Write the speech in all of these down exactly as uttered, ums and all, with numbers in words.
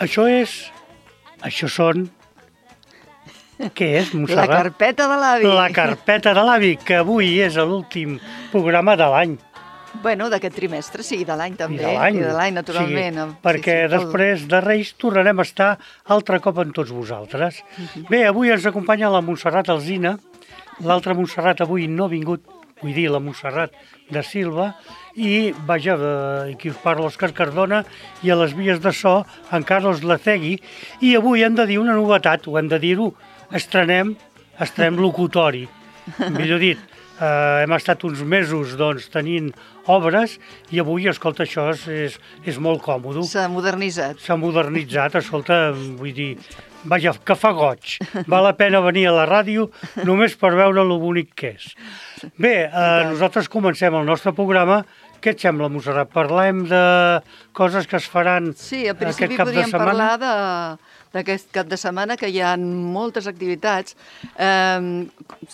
Això és... Això són... Què és, Montserrat? La carpeta de l'avi. La carpeta de l'avi, que avui és l'últim programa de l'any. Bueno, d'aquest trimestre, sí, de l'any també. I de l'any. I de l'any, naturalment. Sí, perquè sí, sí, després de Reis tornarem a estar altre cop amb tots vosaltres. Uh-huh. Bé, avui ens acompanya la Montserrat Alsina. L'altra Montserrat avui no ha vingut, vull dir, la Montserrat de Silva, i, vaja, aquí us parla Òscar Cardona, i a les vies de so, en Carlos Lacegui, i avui hem de dir una novetat, ho hem de dir-ho, estrenem, estrenem locutori, millor dit, eh, hem estat uns mesos, doncs, tenint obres, i avui, escolta, això és, és, és molt còmode. S'ha modernitzat. S'ha modernitzat, escolta, vull dir, vaja, que fa goig. Val la pena venir a la ràdio només per veure lo bonic que és. Bé, eh, nosaltres comencem el nostre programa. Què et sembla, Montserrat? Parlem de coses que es faran sí, a aquest cap de setmana? Sí, a principi podríem parlar de, d'aquest cap de setmana, que hi ha moltes activitats. Eh,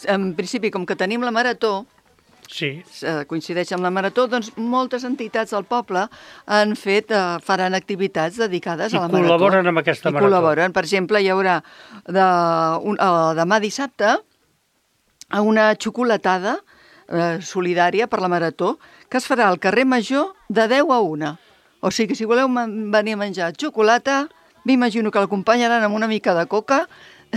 en principi, com que tenim la marató, sí. coincideix amb la marató, doncs moltes entitats del poble han fet, eh, faran activitats dedicades I a la marató. I col·laboren amb aquesta I marató. col·laboren. Per exemple, hi haurà de, un, uh, demà dissabte una xocolatada eh, solidària per la marató que es farà al carrer Major de deu a una. O sigui que si voleu venir a menjar xocolata, m'imagino que l'acompanyaran amb una mica de coca.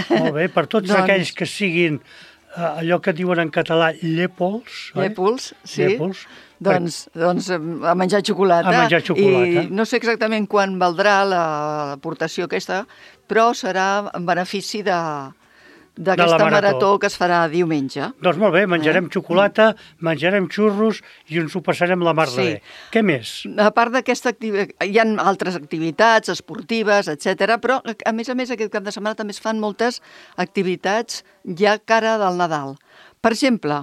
Molt bé, per tots doncs... aquells que siguin uh, allò que diuen en català llépols. Llépols, sí. Llépols. Doncs, doncs a menjar xocolata. A menjar xocolata. I no sé exactament quan valdrà l'aportació aquesta, però serà en benefici de... d'aquesta marató. marató que es farà diumenge. Doncs molt bé, menjarem eh? xocolata, menjarem xurros i ens ho passarem la mar de sí. bé. Què més? A part d'aquesta activitat, hi ha altres activitats esportives, etcètera, però a més a més aquest cap de setmana també es fan moltes activitats ja cara del Nadal. Per exemple,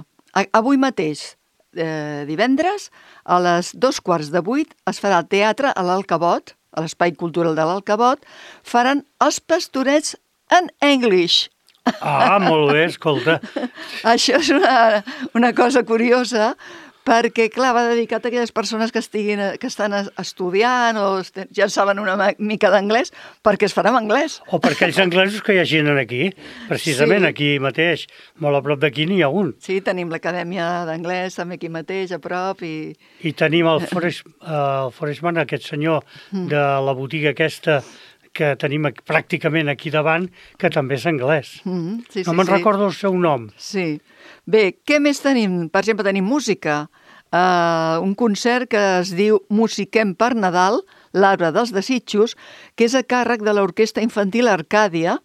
avui mateix, eh, divendres, a les dos quarts de vuit es farà el teatre a l'Alcabot, a l'Espai Cultural de l'Alcabot, faran els Pastorets en English. Ah, molt bé, escolta. Això és una, una cosa curiosa, perquè, clar, va dedicat a aquelles persones que, estiguin, que estan estudiant o ja saben una mica d'anglès, perquè es farà en anglès. O per aquells anglesos que hi hagin aquí, precisament sí. Aquí mateix, molt a prop d'aquí n'hi ha un. Sí, tenim l'Acadèmia d'Anglès també aquí mateix, a prop. I, I tenim el Forest, el Forestman, aquest senyor de la botiga aquesta, que tenim pràcticament aquí davant, que també és anglès. Mm-hmm, sí, no sí, me'n sí. recordo el seu nom. Sí. Bé, què més tenim? Per exemple, tenim música. Uh, un concert que es diu Musiquem per Nadal, l'Arbre dels Desitjos, que és a càrrec de l'Orquestra Infantil Arcàdia,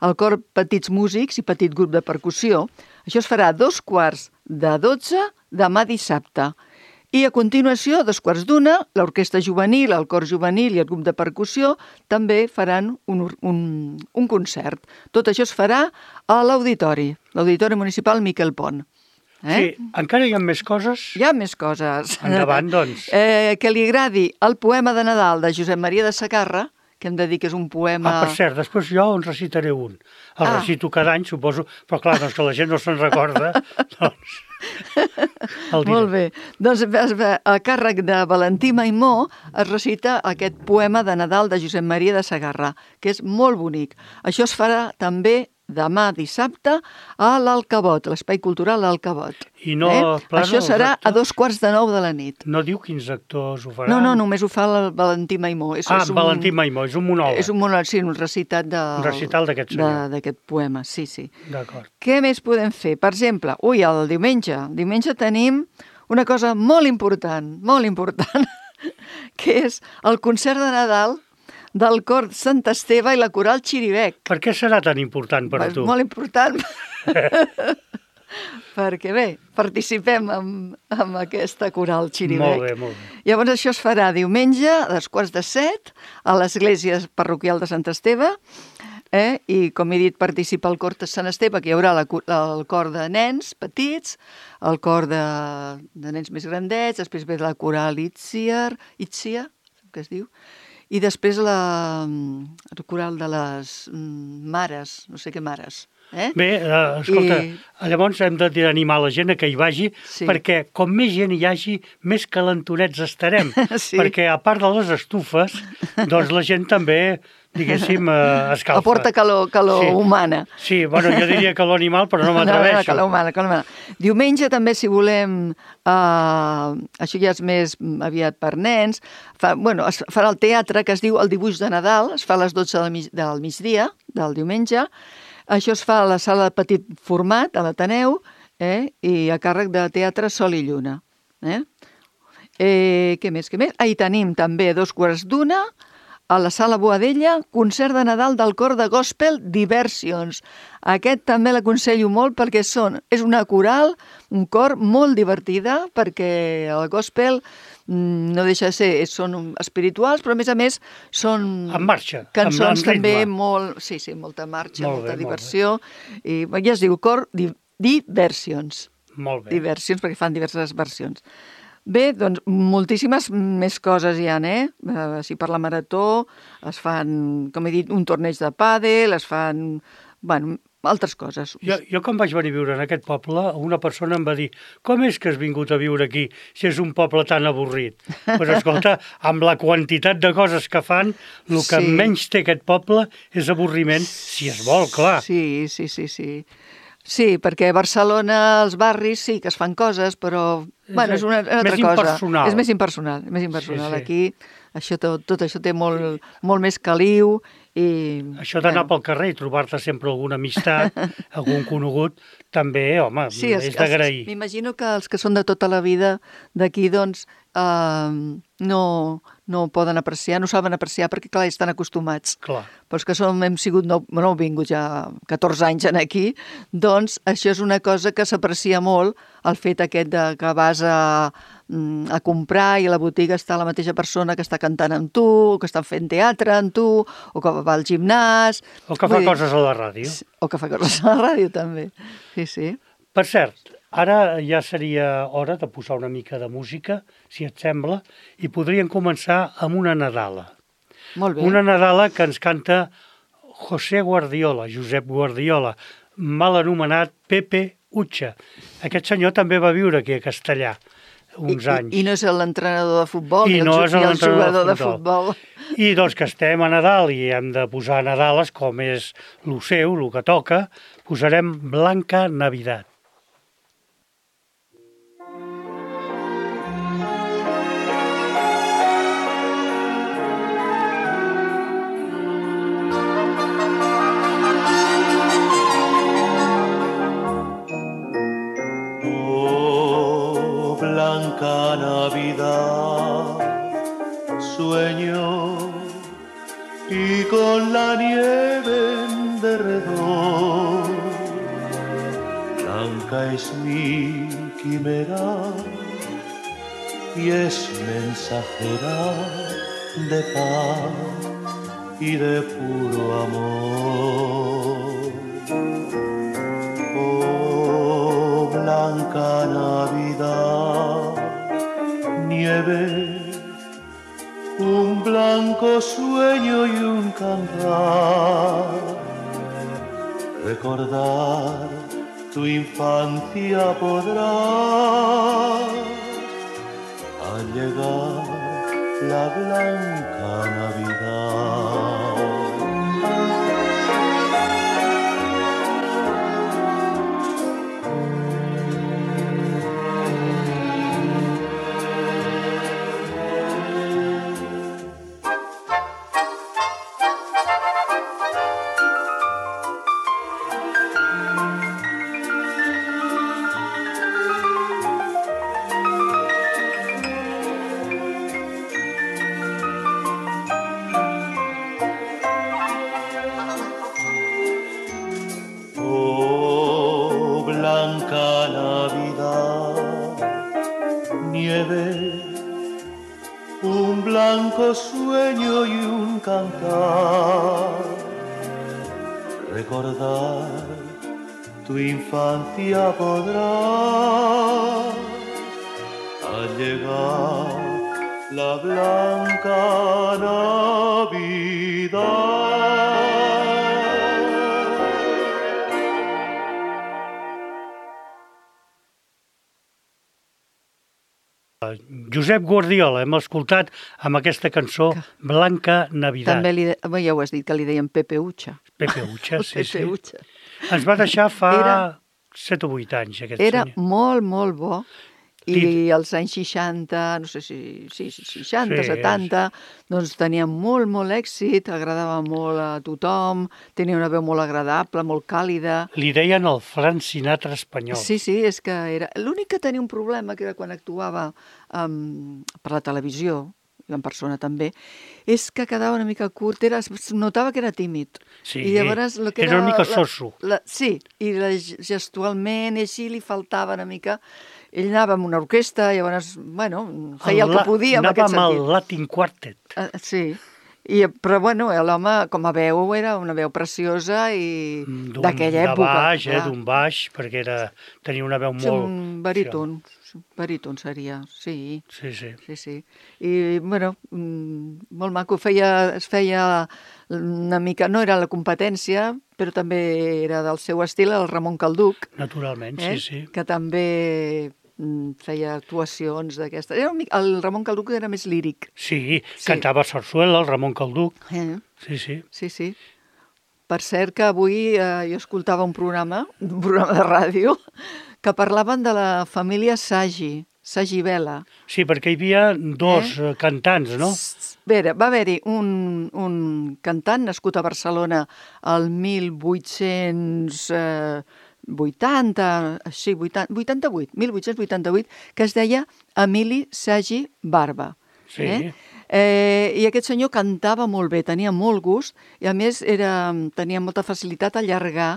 el cor Petits Músics i Petit Grup de Percussió. Això es farà a dos quarts de dotze demà dissabte. I a continuació, a dos quarts d'una, l'Orquestra Juvenil, el Cor Juvenil i el Grup de Percussió també faran un, un, un concert. Tot això es farà a l'Auditori, l'Auditori Municipal Miquel Pont. Eh? Sí, encara hi ha més coses? Hi ha més coses. Endavant, doncs. Eh, que li agradi el poema de Nadal de Josep Maria de Sagarra, que hem de dir que és un poema... Ah, per cert, després jo en recitaré un. El ah. recito cada any, suposo, però clar, doncs que la gent no se'n recorda, doncs... Molt bé. Doncs a càrrec de Valentí Maimó es recita aquest poema de Nadal de Josep Maria de Sagarra, que és molt bonic. Això es farà també demà dissabte a l'Alcabot, l'Espai Cultural l'Alcabot. I no eh? plana, Això serà a dos quarts de nou de la nit. No diu quins actors ho faran? No, no, només ho fa el Valentí Maimó. És, ah, és un, Valentí Maimó, és un monòleg. És un monòleg, sí, un recitat de, un recital d'aquest senyor. D'aquest poema, sí, sí. D'acord. Què més podem fer? Per exemple, ui, el diumenge. El diumenge tenim una cosa molt important, molt important, que és el concert de Nadal del cor Sant Esteve i la coral Xiribec. Per què serà tan important per a tu? Molt important. Perquè bé, participem amb, amb aquesta coral Xiribec. Molt bé, molt bé. Llavors això es farà diumenge a les quarts de set a l'església parroquial de Sant Esteve, eh? I com he dit participa el cor de Sant Esteve, que hi haurà la, el cor de nens petits, el cor de, de nens més grandets, després ve la coral Itziar, Itzia, que es diu, i després la, el coral de les mares, no sé què mares. Eh? Bé, uh, escolta, I... llavors hem d'animar la gent a que hi vagi, sí. Perquè com més gent hi hagi, més calentonets estarem. Sí. Perquè a part de les estufes, doncs la gent també diguéssim, eh, escalfa. Aporta calor, calor sí. humana. Sí, bueno, jo diria calor animal, però no No, m'atreveixo. no, calor humana, calor humana. Diumenge també, si volem, uh, això ja és més aviat per nens, fa, bueno, es farà el teatre que es diu El dibuix de Nadal, es fa a les dotze del, mig, del migdia, del diumenge. Això es fa a la sala de petit format, a l'Ateneu, eh? I a càrrec de Teatre Sol i Lluna. Eh? Eh, què més, què més? Ah, i tenim també a dos quarts d'una, a la Sala Boadella, concert de Nadal del cor de gospel Diversions. Aquest també l'aconsello molt perquè són, és una coral, un cor molt divertida, perquè el gospel mm, no deixa de ser, són espirituals, però a més a més són En marxa, cançons amb, amb també ritme. molt, sí, sí, molta marxa, Molt molta bé, diversió. I ja es diu cor di, Diversions. Molt bé. Diversions, perquè fan diverses versions. Bé, doncs moltíssimes més coses hi ha, eh? eh? Si per la marató es fan, com he dit, un torneig de pàdel, es fan, bueno, altres coses. Jo, jo quan vaig venir a viure en aquest poble, una persona em va dir com és que has vingut a viure aquí si és un poble tan avorrit? Pues escolta, amb la quantitat de coses que fan, el que Sí. menys té aquest poble és avorriment, si es vol, clar. Sí, sí, sí, sí. Sí, perquè a Barcelona, els barris, sí que es fan coses, però És, bueno, és una, una altra més cosa. impersonal. És més impersonal. És més impersonal. Sí, sí. Aquí això, tot, tot això té molt, molt més caliu. I, Això d'anar bueno, pel carrer i trobar-te sempre alguna amistat, algun conegut, també, home, sí, els- és d'agrair. els- M'imagino que els que són de tota la vida d'aquí, doncs, eh, no, no poden apreciar, no saben apreciar, perquè, clar, estan acostumats. Clar. Però els que som, hem sigut, no, no hem vingut ja catorze anys en aquí, doncs això és una cosa que s'aprecia molt, el fet aquest de que vas a, mm, a comprar i a la botiga està la mateixa persona que està cantant amb tu, o que està fent teatre amb tu, o que va al gimnàs. O que fa Vull dir, coses a la ràdio. O que fa coses a la ràdio, també. Sí, sí. Per cert, ara ja seria hora de posar una mica de música, si et sembla, i podríem començar amb una Nadala. Molt bé. Una Nadala que ens canta José Guardiola, Josep Guardiola, mal anomenat Pepe Utxa. Aquest senyor també va viure aquí a Castellà uns I, anys. I, I no és l'entrenador de futbol, I ni el, no ju- és ni el l'entrenador jugador de de futbol. I doncs que estem a Nadal i hem de posar Nadales, com és lo seu, lo que toca, posarem Blanca Navidad. Oh, blanca Navidad, sueño y con la nieve en derredor, blanca es mi quimera y es mensajera de paz y de puro amor. Oh, blanca Navidad, nieve, un blanco sueño y un cantar, recordar tu infancia podrás al llegar la blanca Navidad. Oh, blanca Navidad, nieve, un blanco sueño y un cantar, recordar tu infancia podrás al llegar la blanca Navidad. Josep Guardiola, hem escoltat amb aquesta cançó Blanca Navidad. També li de... ja ho has dit, que li deien Pepe Ucha. Pepe Ucha, sí, Pepe sí. Ucha. Ens va deixar fa Era... set o vuit anys, aquest Era senyor. molt, molt bo. I Dit- als anys seixanta, no sé si sí, seixanta, Sí, setanta, doncs tenia molt, molt èxit, agradava molt a tothom, tenia una veu molt agradable, molt càlida. Li deien el Frank Sinatra espanyol. Sí, sí, és que era... L'únic que tenia un problema, que era quan actuava um, per la televisió, i en persona també, és que quedava una mica curt, era, es notava que era tímid. Sí, I llavors, lo que era una mica la- soso. La, sí, i la, gestualment i així li faltava una mica... Ell anava amb una orquestra, llavors, bueno, feia el, el que podia en aquest sentit. Anava amb el Latin Quartet. Uh, sí, I, però bueno, l'home com a veu era una veu preciosa i d'aquella època. De baix, eh, d'un baix, perquè era, tenia una veu molt... Un baríton, baríton seria, sí. Sí, sí. Sí, sí. I, bueno, molt maco. Feia, es feia una mica... No era la competència, però també era del seu estil, el Ramon Calduc. Naturalment, eh? sí, sí. Que també feia actuacions d'aquesta. El Ramon Calduc era més líric. Sí, sí, cantava sarsuela, el Ramon Calduc. Eh? Sí, sí. Sí, sí. Per cert que avui eh, jo escoltava un programa, un programa de ràdio, que parlaven de la família Sagi, Sagi Vela. Sí, perquè hi havia dos eh? cantants, no? Vera, va haver-hi un, un cantant nascut a Barcelona el mil vuit-cents vuitanta, sí, vuitanta-vuit, mil vuit-cents vuitanta-vuit, que es deia Emili Sagi Barba. Sí. Eh? Eh, I aquest senyor cantava molt bé, tenia molt gust i a més era, tenia molta facilitat a allargar,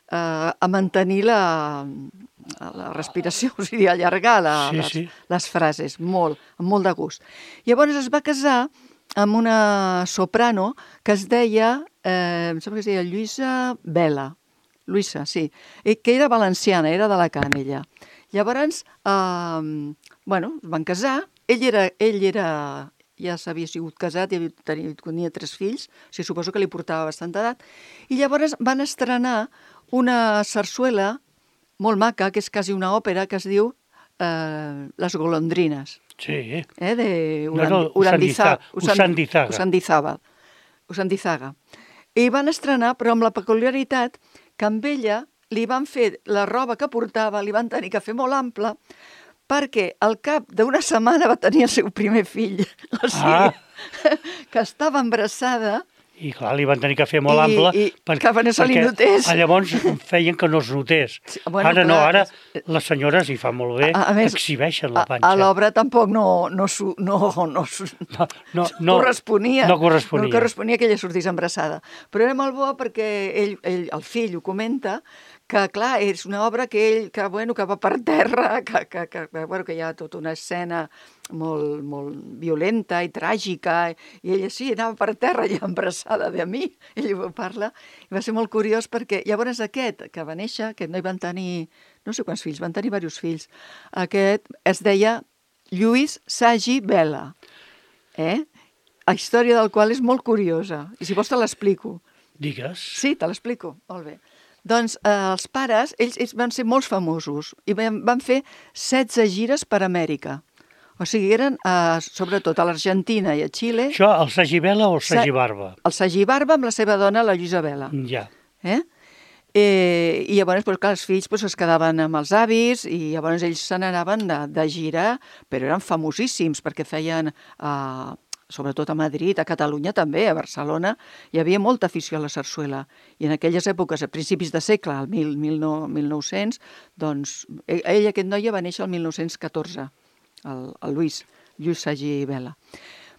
eh, a mantenir la, la respiració, o sigui, allargar la, sí, les, sí. les frases, molt, amb molt de gust. Llavors es va casar amb una soprano que es deia, eh, em sembla que es deia Lluïsa Vela, Lluïsa, sí, I, que era valenciana, era d'Alacant, ella. Llavors, eh, bueno, es van casar, ell era, ell era ja s'havia sigut casat i tenia, tenia tres fills, o sigui, suposo que li portava bastanta edat, i llavors van estrenar una sarsuela molt maca, que és quasi una òpera, que es diu eh, Les golondrines. Sí. Eh, de Urand... no, no, Usandizaga. Usandizaga. Usandizaga. Usandizaga. I van estrenar, però amb la peculiaritat que amb ella li van fer la roba que portava, li van tenir que fer molt ampla, perquè al cap d'una setmana va tenir el seu primer fill, o sigui, ah. que estava embarassada. I clar, li van tenir que fer molt I, ample i, perquè, que no se li notés. Llavors feien que no es notés. Sí, bueno, ara clar, no, ara les senyores, hi fa molt bé, a, a més, exhibeixen la panxa. A, a l'obra tampoc no, no, no, no, no, no, no corresponia. No corresponia. No corresponia que ella sortís embarassada. Però era molt bo perquè ell, ell, el fill ho comenta, que, clar, és una obra que ell, que, bueno, que va per terra, que, que, que, bueno, que hi ha tota una escena molt, molt violenta i tràgica, i ella sí, anava per terra i embarassada de mi, ell ho parla, i va ser molt curiós perquè llavors aquest que va néixer, aquest noi van tenir, no sé quants fills, van tenir diversos fills, aquest es deia Lluís Sagi Vela, eh? La història del qual és molt curiosa, i si vols te l'explico. Digues. Sí, te l'explico, molt bé. Doncs eh, els pares, ells, ells van ser molt famosos i van, van fer setze gires per Amèrica. O sigui, eren eh, sobretot a l'Argentina i a Xile. Això, el Sagi Vela o el Sagi Barba? El Sagi Barba amb la seva dona, la Lluïsa Vela. Ja. Eh? Eh, I llavors, doncs, clar, els fills doncs, es quedaven amb els avis i llavors ells se n'anaven de, de gira, però eren famosíssims perquè feien... Eh, sobretot a Madrid, a Catalunya també, a Barcelona, hi havia molta afició a la sarsuela. I en aquelles èpoques, a principis de segle, al mil, mil, mil nou-cents, doncs, ell, aquest noia, va néixer el mil nou-cents catorze, el, el Lluís, Lluís Sagi Vela.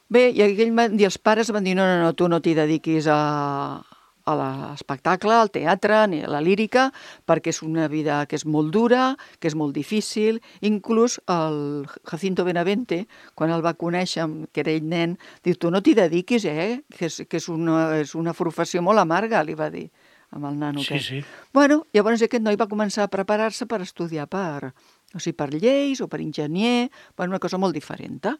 Bé, i aquell van dir, els pares van dir, no, no, no, tu no t'hi dediquis a, a l'espectacle, al teatre, ni a la lírica, perquè és una vida que és molt dura, que és molt difícil. Inclús el Jacinto Benavente, quan el va conèixer, que era ell nen, diu, tu no t'hi dediquis, eh? Que és, que és, una, és una professió molt amarga, li va dir, amb el nano. Sí, sí. Bueno, llavors aquest noi va començar a preparar-se per estudiar per, o sigui, per lleis o per enginyer, bueno, una cosa molt diferent.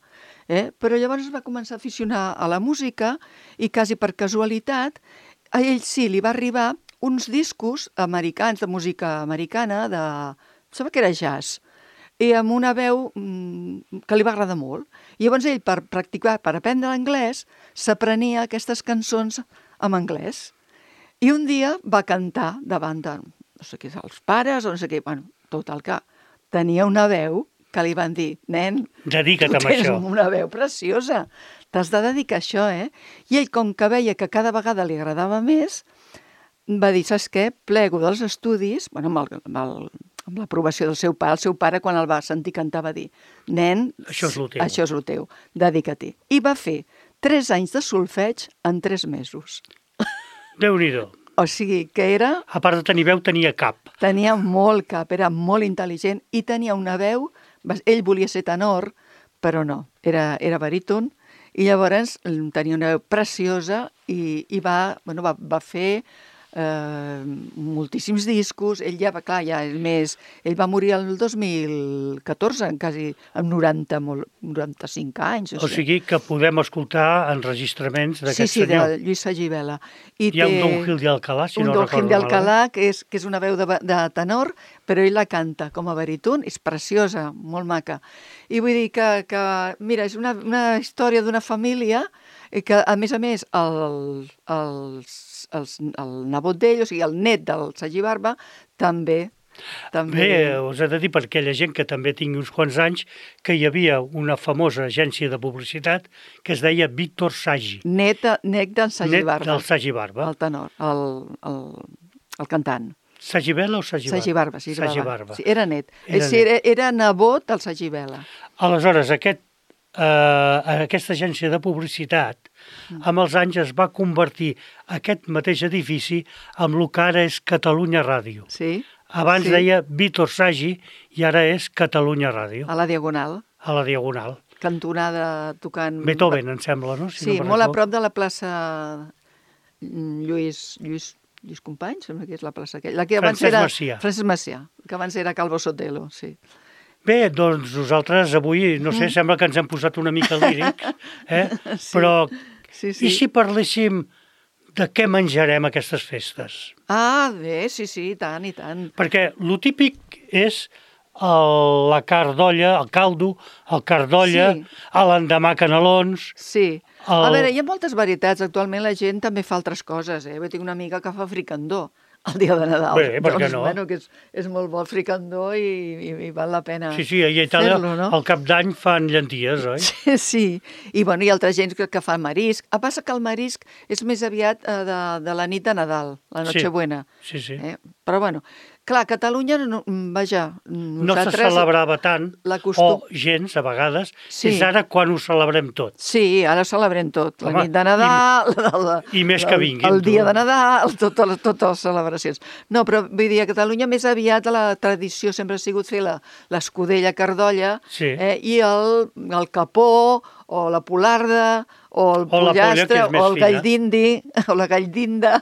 Eh? Però llavors es va començar a aficionar a la música i quasi per casualitat a ell sí, li va arribar uns discos americans, de música americana, de... em sembla que era jazz, i amb una veu, que li va agradar molt. I llavors ell, per practicar, per aprendre l'anglès, s'aprenia aquestes cançons en anglès. I un dia va cantar davant de, no sé què, els pares o no sé què, bueno, tot el que tenia una veu que li van dir, nen, dedica't tu amb tens això. una veu preciosa, t'has de dedicar a això, eh? I ell, com que veia que cada vegada li agradava més, va dir, saps què? Plego dels estudis, bueno, amb, el, amb, el, amb l'aprovació del seu pare, el seu pare quan el va sentir cantar va dir, nen, Això és lo teu. això és lo teu, dedica-t'hi. I va fer tres anys de solfeig en tres mesos. Déu-n'hi-do. O sigui, que era... A part de tenir veu, tenia cap. Tenia molt cap, era molt intel·ligent i tenia una veu... Ell volia ser tenor, però no, era, era baríton, i llavors tenia una veu preciosa i, i va, bueno, va, va fer eh, moltíssims discos. Ell ja va, clar, ja és més... Ell va morir el dos mil catorze, quasi amb noranta, molt, noranta-cinc anys. O sigui que podem escoltar enregistraments d'aquest sí, sí, senyor. Sí, de Lluís Sagivela. I Hi ha té un Don Gil de Alcalá, si un no Don recordo Gil de Alcalá, malament. que és, que és una veu de, de tenor, però ell la canta com a baríton, és preciosa, molt maca. I vull dir que, que mira, és una, una història d'una família que, a més a més, el, els, els, el nebot d'ell, o sigui, el net del Sergi Barba, també... també... Bé, us he de dir per aquella gent que també tingui uns quants anys que hi havia una famosa agència de publicitat que es deia Víctor Sagi. Net, net del Sergi Net Barba. del Sagi Barba. El tenor, el, el, el cantant. Sagivela o Sagi Barba? Sagi Barba, sí, Sagi Barba. Barba. Sí, era net. Era, sí, era, era nebot del Sergi Vela. Aleshores, aquest, eh, aquesta agència de publicitat, amb els anys es va convertir aquest mateix edifici en el que ara és Catalunya Ràdio. Sí. Abans sí. deia Víctor Sagi i ara és Catalunya Ràdio, A la Diagonal, a la Diagonal. cantonada tocant... Beethoven, em sembla, no? Si Sí, no molt a m'equivoco. prop de la plaça Lluís, Lluís, Lluís Company, sembla que és la plaça aquella. La que abans Francesc era... Macià. Francesc Macià, que abans era Calvo Sotelo, sí. Bé, doncs nosaltres avui, no sé, sembla que ens hem posat una mica lírics, eh? Sí. Però Sí, sí. i si parléssim de què menjarem aquestes festes? Ah, bé, sí, sí, i tant, i tant. Perquè lo típic és el, la carn d'olla, el caldo, el carn d'olla, Sí. a l'endemà canelons... Sí. El- A veure, hi ha moltes varietats. Actualment la gent també fa altres coses, eh? Jo tinc una amiga que fa fricandó el dia de Nadal. Bé, per què doncs, no? Bueno, que és, és molt bo el fricandó i, i, i val la pena Sí, sí, a Itàlia fer-lo, no? al cap d'any fan llenties, oi? Sí, sí. I, bueno, hi ha altra gent que, que fa marisc. El passa que el marisc és més aviat eh, de, de la nit de Nadal, la Sí. Nochebuena. Sí, sí. Eh? Però, bueno, clar, a Catalunya, no, vaja, No se nosaltres... celebrava tant, la costum- o gens, a vegades, Sí. és ara quan ho celebrem tot. Sí, ara celebrem tot. La Home, nit de Nadal, i, la, i més que vinguin, El, el dia tu. de Nadal, totes les, totes les celebracions. No, però vull dir, a Catalunya més aviat la tradició sempre ha sigut fer la- l'escudella cardolla Sí. eh, i el, el capó o la polarda o el O la polla, pollastre que és més o el fina. gall d'indi o la gall d'inda,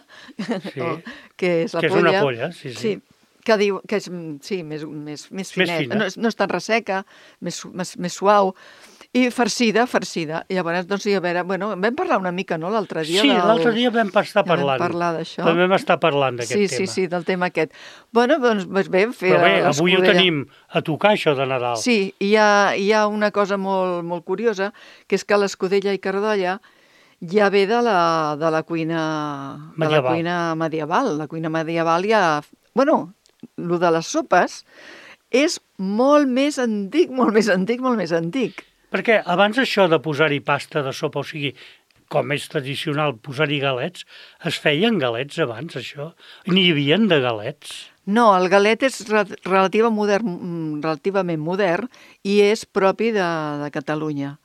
o- que és la Que és polla. una polla, sí, sí. sí que diu que és mm, sí, més, més, més finet, fina. no, és, no és tan resseca, més, su- més, més suau, i farcida, farcida. I llavors, doncs, sí, a veure, bueno, vam parlar una mica, no?, l'altre dia. Sí, del... l'altre dia vam estar Ja vam parlant. parlar d'això. També vam estar parlant d'aquest sí, tema. Sí, sí, del tema aquest. Bueno, doncs, doncs bé, fer Però bé, avui ho l'escudella. tenim a tocar, això de Nadal. Sí, i hi ha, hi ha una cosa molt, molt curiosa, que és que l'escudella i cardolla ja ve de la, de la cuina de la Medieval. cuina medieval. La cuina medieval ja... Bueno, el de les sopes és molt més antic, molt més antic, molt més antic. Perquè abans això de posar-hi pasta de sopa, o sigui, com és tradicional posar-hi galets, es feien galets abans, això? N'hi havien de galets? No, el galet és re relativa modern, mm, relativament modern i és propi de, de Catalunya.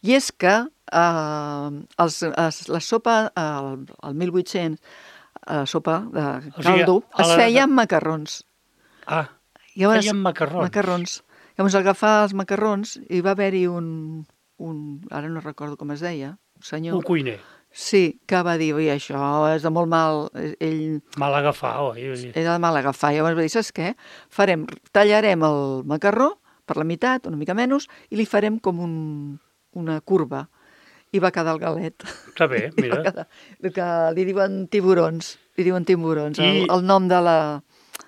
I és que eh, els, es, la sopa, el, el mil vuit-cents, la sopa de O sigui, caldo, a es la- feia amb macarrons. Ah, Llavors, feien macarrons. Macarrons. Llavors agafar els macarrons i va haver-hi un, un, ara no recordo com es deia, un senyor. Un cuiner. Sí, que va dir, oi, això és de molt mal, ell Mal agafar, oi? era de mal agafar. Llavors va dir, saps què? Farem, tallarem el macarró per la meitat, una mica menys, i li farem com un, una curva. I va quedar el galet. Està bé, I va mira. quedar, el que li diuen tiburons, li diuen tiburons, I- el, el nom de la,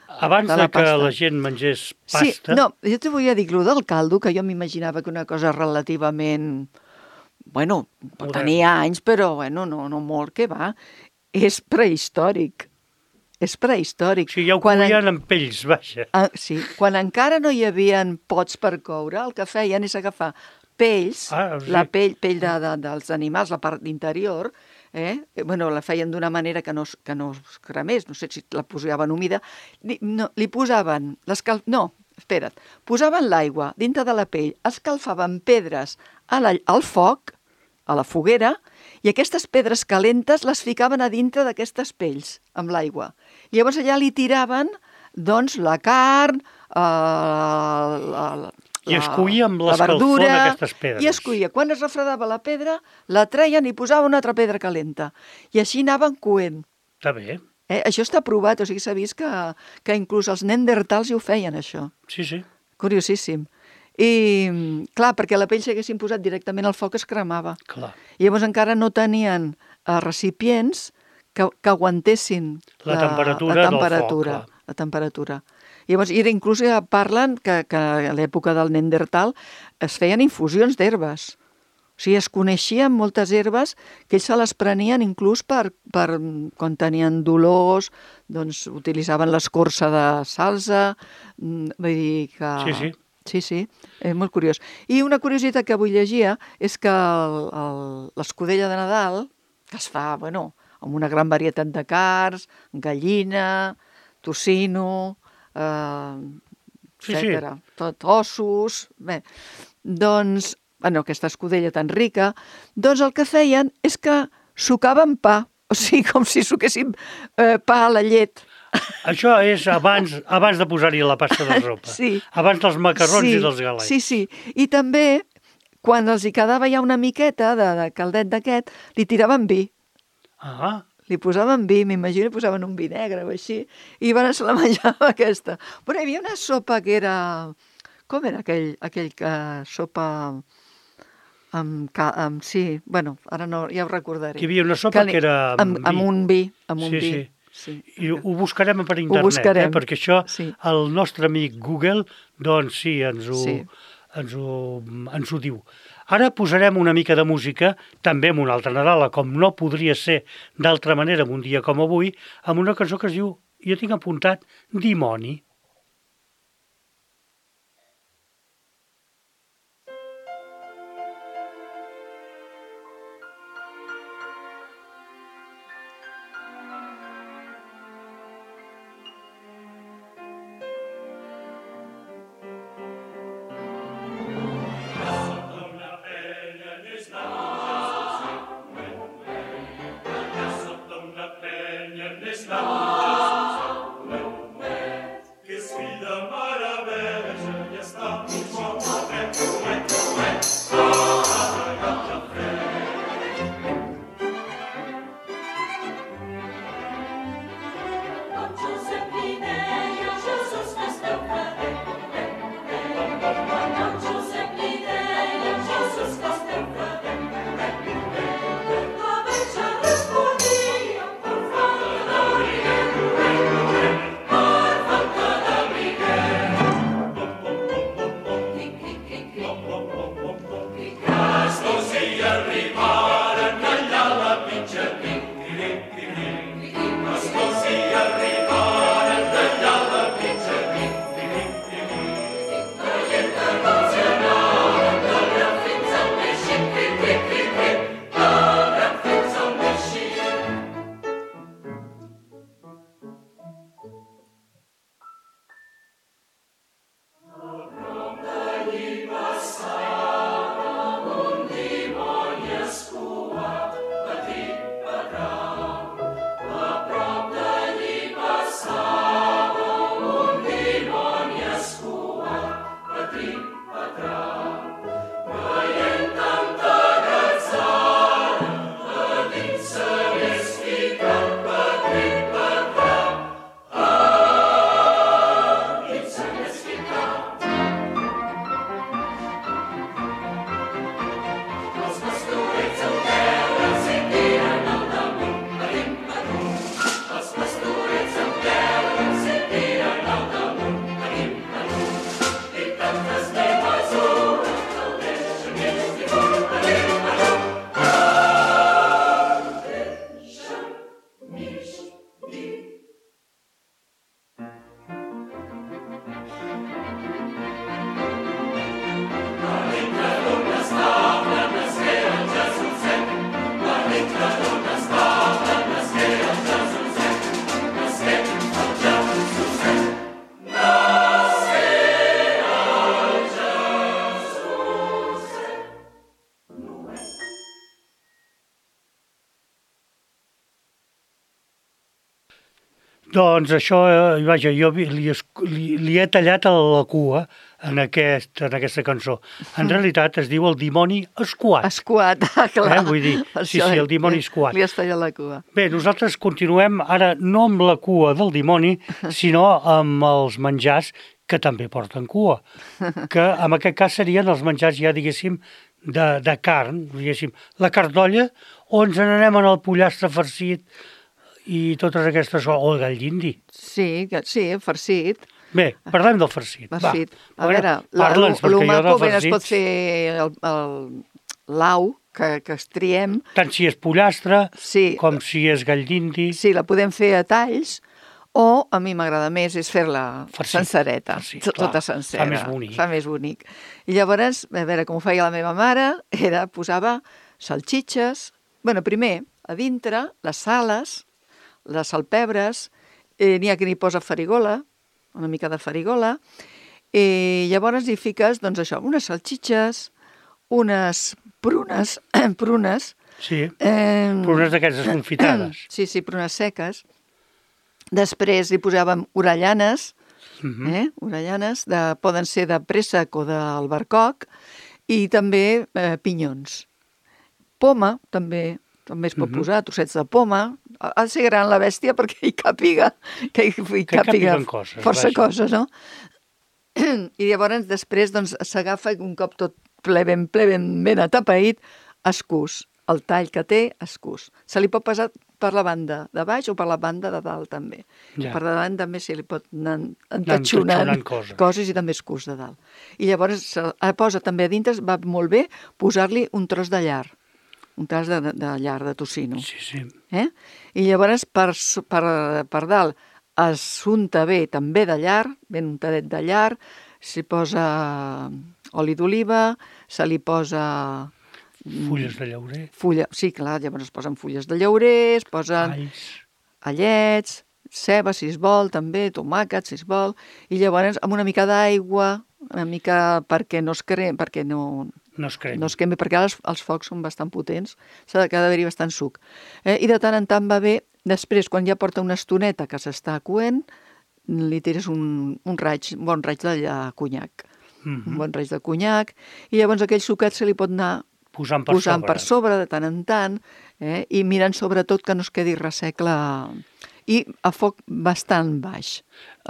Abans de de, la que pasta. la gent mengés Sí, pasta... no, jo te volia dir, allò del caldo, que jo m'imaginava que una cosa relativament... Bueno, pot Moderna. tenir anys, però bueno, no, no molt, que va. És prehistòric. És prehistòric. Sí, ja ho Quan en- coïen en pells, vaja. Ah, sí, quan encara no hi havia pots per coure, el que feien és agafar pells, Ah, sí. la pell, pell de, de, dels animals, la part interior, eh? Eh, bueno, la feien d'una manera que no, es- que no es cremés, no sé si la posaven humida, li, no, li posaven, l'escal... no, espera't, posaven l'aigua dintre de la pell, escalfaven pedres a la, al foc, a la foguera, i aquestes pedres calentes les ficaven a dintre d'aquestes pells, amb l'aigua. I llavors allà li tiraven, doncs, la carn, eh, la, la, I es coïa amb la l'escalfor verdura, d'aquestes pedres. i es coïa. Quan es refredava la pedra, la treien i posaven una altra pedra calenta. I així anaven coent. Està bé. Eh? Això està provat, o sigui, s'ha vist que, que inclús els neandertals ho feien, això. Sí, sí. Curiosíssim. I, clar, perquè la pell s'haguessin posat directament al foc es cremava. Clar. I llavors encara no tenien eh, recipients que, que aguantessin La temperatura la del temperatura, foc, clar. la temperatura. Llavors, i inclús ja parlen que, que a l'època del Neandertal es feien infusions d'herbes. O sigui, es coneixien moltes herbes que ells se les prenien inclús per, per quan tenien dolors, doncs utilitzaven l'escorça de salsa, mm, vull dir que... Sí, sí. Sí, sí, és molt curiós. I una curiositat que avui llegia és que el- el- l'escudella de Nadal, que es fa, bueno, amb una gran varietat de carns, gallina, tocino, eh, Sí, sí. etcètera, tot ossos, bé, doncs, bueno, aquesta escudella tan rica, doncs el que feien és que sucaven pa, o sigui, com si suquessin eh, pa a la llet. Això és abans, abans de posar-hi la pasta de sopa. Sí. Abans dels macarrons sí, i dels galets. Sí, sí. I també, quan els hi quedava ja una miqueta de, de caldet d'aquest, li tiraven vi. Ah, Li posaven vi, m'imagino, li posaven un vi negre o així, i van se la menjava aquesta. Però hi havia una sopa que era... Com era aquell, aquell que sopa amb, ca- amb... Sí, bueno, ara no, ja ho recordaré. que hi havia una sopa li- que era amb, amb amb vi. un vi, amb un Sí, vi. sí. Sí. I ho buscarem per internet, buscarem, eh? Perquè això, sí. el nostre amic Google, doncs sí, ens ho, Sí. ens ho, ens ho diu. Ara posarem una mica de música, també amb un altre Nadal, com no podria ser d'altra manera en un dia com avui, amb una cançó que es diu, jo tinc apuntat, Dimoni. Doncs això, eh, vaja, jo vi- li, esc- li, li he tallat a la cua en, aquest, en aquesta cançó. En realitat es diu El dimoni escuat. Escuat, ah, clar. Eh, vull dir, Per sí, això sí, el dimoni li- escuat. Li has tallat la cua. Bé, nosaltres continuem ara no amb la cua del dimoni, sinó amb els menjars que també porten cua, que en aquest cas serien els menjars ja, diguéssim, de, de carn, diguéssim, la carn d'olla, o ens n'anem en el pollastre farcit i totes aquestes coses, o el gall d'indi. Sí, que, sí, farcit. Bé, parlem del farcit. Farcit. Va. A veure, la- parla'ns, lo perquè jo maco de ben es pot farcits, fer el- el- l'au, que, que es triem. tant si és pollastre Sí, com si és gall d'indi. sí, la podem fer a talls, o a mi m'agrada més és fer-la Farcit, sencereta, farcit, to- clar, tota sencera. fa més bonic. Fa més bonic. I llavors, a veure, com ho feia la meva mare, era, posava salxitxes, bueno, primer, a dintre, les sales, les salpebres, eh, n'hi ha qui n'hi posa farigola, una mica de farigola, i llavors hi fiques, doncs això, unes salxitxes, unes prunes, prunes, Sí, eh, prunes d'aquestes confitades. sí, sí, prunes seques. Després hi posàvem orellanes, Mhm. eh? orellanes, de, poden ser de préssec o d'albercoc, i també eh, pinyons. Poma, també també es pot Mhm. posar, trossets de poma. Ha ha de ser gran la bèstia perquè hi càpiga, que hi, hi Que càpiga càpiguen coses, força vaja. coses, no? I llavors després doncs, s'agafa un cop tot ple ben, ple ben, ben atapeït, escús. El tall que té, escús. Se li pot passar per la banda de baix o per la banda de dalt, també. Ja. Per davant també se li pot anar entatxonant entatxonant coses. coses i també escús de dalt. I llavors se eh, posa també a dintre, va molt bé posar-li un tros de llar, un tros de, de llar de tocino. Sí, sí. Eh? I llavors per, s- per, per dalt es unta bé també de llar, ben untadet de llar, s'hi posa oli d'oliva, se li posa Fulles de llaurer, fulla, sí, clar, llavors es posen fulles de llaurer, es posen alls. allets, ceba, si es vol, també, tomàquet, si es vol, i llavors amb una mica d'aigua, una mica perquè no es cremi, perquè no, No es cremi. no es quemi, perquè els, els focs són bastant potents, s'ha de, que ha d'haver-hi bastant suc. Eh? I de tant en tant va bé, després, quan ja porta una estoneta que s'està coent, li tires un, un raig, un bon raig de lla- conyac, Mhm. un bon raig de conyac, i llavors aquell suquet se li pot anar Posant per posant sobre. per sobre de tant en tant, eh? I mirant sobretot que no es quedi ressec la... I a foc bastant baix.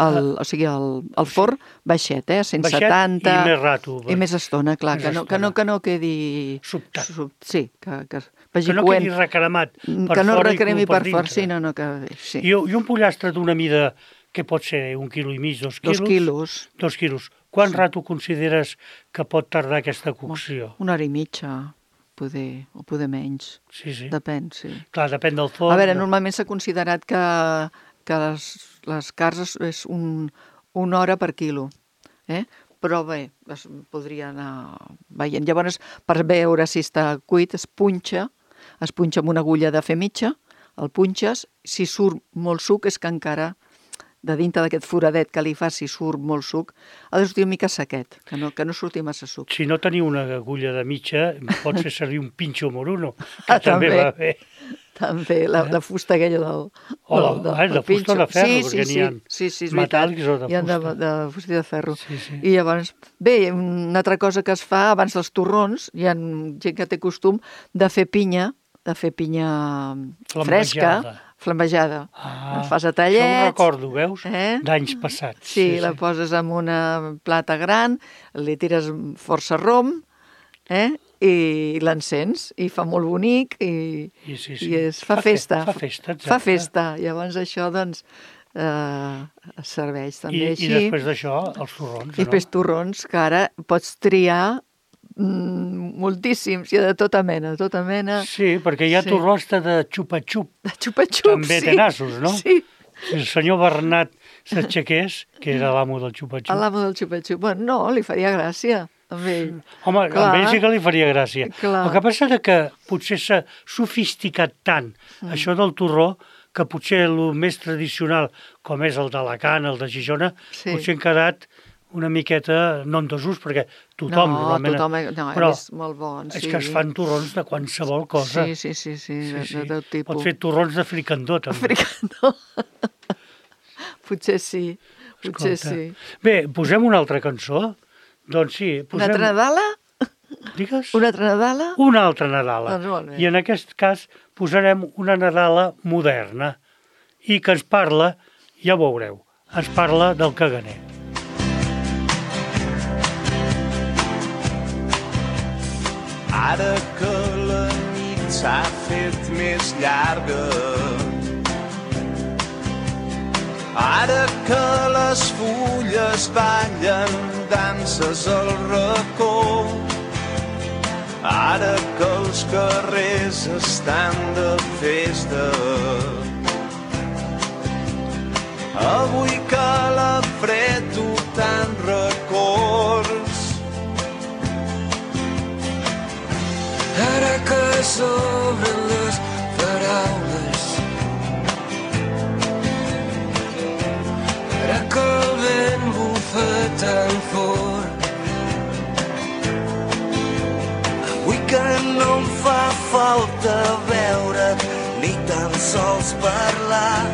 El, o sigui, el, el forn baixet, eh? a cent setanta. Baixet i més rato. I més estona, clar, Més que no, que, no, estona. que no quedi... Sobtat. Sub, sí, que, que vagi Que no coent. quedi recremat per que no fora i recremi cru per per fora, dintre. sí, no, no, que... Sí. I, I un pollastre d'una mida que pot ser un quilo i mig, dos quilos. Dos quilos, Dos quilos. Quant rato consideres que pot tardar aquesta cocció? una hora i mitja, poder, o poder menys. Sí, sí. Depèn, sí. Clar, depèn del forn. A veure, normalment s'ha considerat que, que les, les carns és- és un, una hora per quilo, eh? Però bé, es podria anar veient. Llavors, per veure si està cuit, es punxa, es punxa amb una agulla de fer mitja, el punxes, si surt molt suc és que encara de dintre d'aquest foradet que li fa, si surt molt suc, ha de sortir una mica sequet, que no, que no surti massa suc. Si no teniu una agulla de mitja, pots fer servir un pinxo moruno, que Ah, també també. va bé. També, la, la fusta aquella del... O la, del- del- ah, de del fusta o de pinxo. ferro, sí, perquè sí, n'hi ha sí, sí, sí, és veritat. metàl·lics o de Hi ha de, fusta. de fusta i de ferro. Sí, sí. I llavors, bé, una altra cosa que es fa abans dels torrons, hi ha gent que té costum de fer pinya, de fer pinya fresca, Flambejada. flambejada. Ah, La fas a això ho tallets. recordo, veus? Eh? D'anys passats. Sí, la poses en una plata gran, li tires força rom, eh? I l'encens, i fa molt bonic, i, I, sí, sí. i es fa, Fa fe- festa. fa festa, exacte. Fa festa. Llavors això, doncs, eh, es serveix I, també I així. després d'això, els torrons, I després torrons, que ara pots triar mm, moltíssims, hi ha de tota mena, de tota mena. Sí, perquè hi ha Sí. torrons de xupa-xup. De xupa-xup, També sí. té nassos, no? Sí, Si el senyor Bernat s'aixequés, que era l'amo del xupa-xup. a l'amo del xupa-xup. Bueno, no, li faria gràcia amb ell. Home, Clar. amb ell sí que li faria gràcia. Clar. El que passa és que potser s'ha sofisticat tant mm. això del torró, que potser el més tradicional, com és el d'Alacant, el de Gijona, Sí. potser han quedat una miqueta, no en desús, perquè tothom no, normalment... tothom, no, però és molt bon, sí. és que es fan torrons de qualsevol cosa. Sí, sí, sí, sí, de, Sí, de sí. tot tipus. Pot fer torrons de fricandó, també. Fricandó. Potser sí, potser Escolta. sí. Bé, posem una altra cançó? Doncs sí, Una posem... altra Nadala? Digues? Una altra Nadala? Una altra Nadala. Doncs molt bé. I en aquest cas posarem una Nadala moderna i que ens parla, ja ho veureu, ens parla del caganer. Ara que la nit s'ha fet més llarga, ara que les fulles ballen danses al racó, ara que els carrers estan de festa, avui que la fred tu tant records, ara que s'obren les paraules, ara que el vent bufa tan fort, avui que no em fa falta veure't ni tan sols parlar,